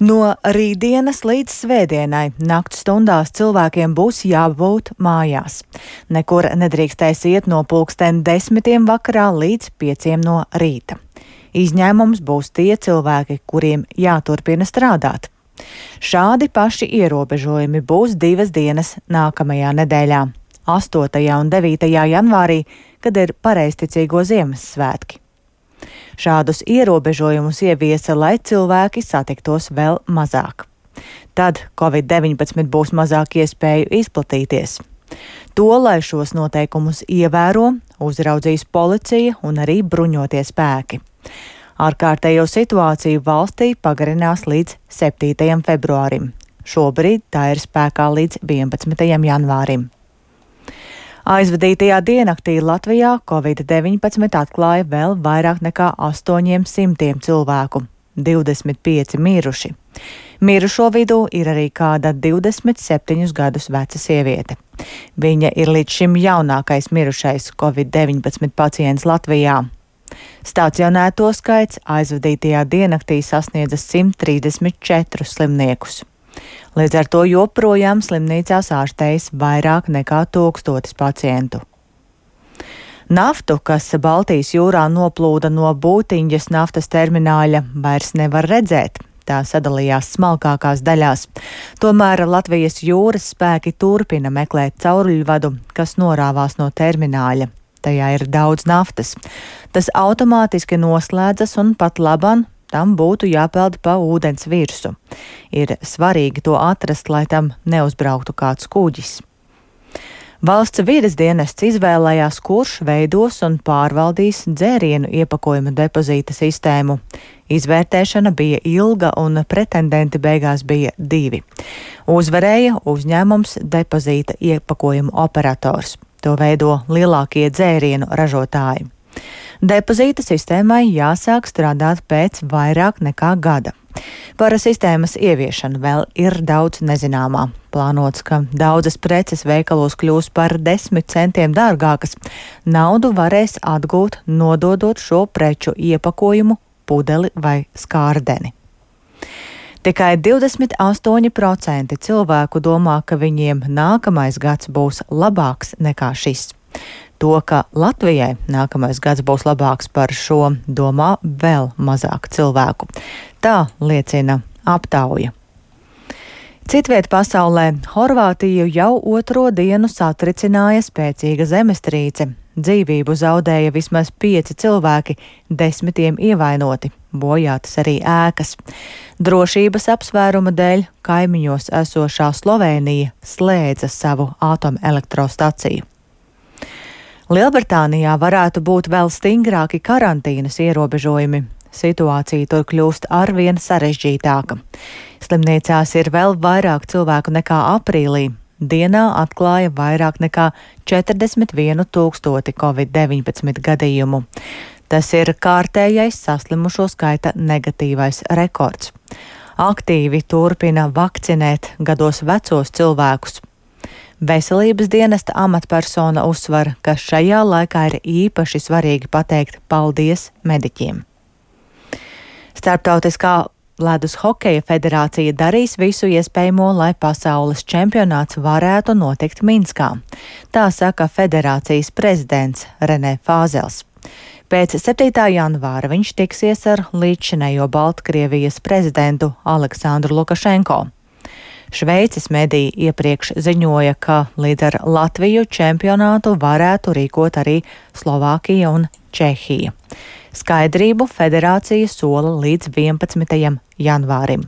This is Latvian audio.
No rītdienas līdz svētdienai nakts stundās cilvēkiem būs jābūt mājās. Nekur nedrīkstēs iet no 10:00 vakarā līdz 5:00 no rīta. Izņēmums būs tie cilvēki, kuriem jāturpina strādāt. Šādi paši ierobežojumi būs 2 dienas nākamajā nedēļā - 8. un 9. janvārī, kad ir pareizticīgo Ziemassvētki. Šādus ierobežojumus ieviesa, lai cilvēki satiktos vēl mazāk. Tad Covid-19 būs mazāk iespēju izplatīties. To, lai šos noteikumus ievēro, uzraudzīs policija un arī bruņotie spēki. Ārkārtējo situāciju valstī pagarinās līdz 7. februārim. Šobrīd tā ir spēkā līdz 11. janvārim. Aizvadītajā diennaktī Latvijā Covid-19 atklāja vēl vairāk nekā 800 cilvēku, 25 miruši. Mirušo vidū ir arī kāda 27 gadus veca sieviete. Viņa ir līdz šim jaunākais mirušais Covid-19 pacients Latvijā. Stacionēto skaits aizvadītajā diennaktī sasniedza 134 slimniekus. Līdz ar to joprojām slimnīcās ārstējas vairāk nekā 1000 pacientu. Naftu, kas Baltijas jūrā noplūda no Būtiņas naftas termināļa, vairs nevar redzēt. Tā sadalījās smalkākās daļās. Tomēr Latvijas jūras spēki turpina meklēt cauruļvadu, kas norāvās no termināļa. Tajā ir daudz naftas. Tas automātiski noslēdzas un pat labam tam būtu jāpeld pa ūdens virsu. Ir svarīgi to atrast, lai tam neuzbrauktu kāds kuģis. Valsts vides dienests izvēlējās, kurš veidos un pārvaldīs dzērienu iepakojuma depozīta sistēmu. Izvērtēšana bija ilga un pretendenti beigās bija 2. Uzvarēja uzņēmums depozīta iepakojuma operators. To veido lielākie dzērienu ražotāji. Depozīta sistēmai jāsāk strādāt pēc vairāk nekā gada. Par sistēmas ieviešanu vēl ir daudz nezināmā. Plānots, ka daudzas preces veikalos kļūs par 10 centiem dārgākas. Naudu varēs atgūt, nododot šo preču iepakojumu, pudeli vai skārdeni. Tikai 28% cilvēku domā, ka viņiem nākamais gads būs labāks nekā šis. To, ka Latvijai nākamais gads būs labāks par šo, domā vēl mazāk cilvēku. Tā liecina aptauja. Citviet pasaulē Horvātiju jau 2. dienu satricināja spēcīga zemestrīce. Dzīvību zaudēja vismaz 5 cilvēki, 10 ievainoti, bojātas arī ēkas. Drošības apsvēruma dēļ kaimiņos esošā Slovēnija slēdza savu atomelektrostaciju. Lielbritānijā varētu būt vēl stingrāki karantīnas ierobežojumi. Situācija tur kļūst arvien sarežģītāka. Slimnīcās ir vēl vairāk cilvēku nekā aprīlī. Dienā atklāja vairāk nekā 41 000 Covid-19 gadījumu. Tas ir kārtējais saslimušo skaita negatīvais rekords. Aktīvi turpina vakcinēt gados vecos cilvēkus. Veselības dienesta amatpersona uzsver, ka šajā laikā ir īpaši svarīgi pateikt paldies mediķiem. Starptautiskā ledus hokeja federācija darīs visu iespējamo, lai pasaules čempionāts varētu notikt Minskā. Tā saka federācijas prezidents Renē Fāzels. Pēc 7. janvāra viņš tiksies ar līdzšinējo Baltkrievijas prezidentu Aleksandru Lukašenko. Šveices mediji iepriekš ziņoja, ka līdz ar Latviju čempionātu varētu rīkot arī Slovākija un Čehija. Skaidrību federācija sola līdz 11. janvārim.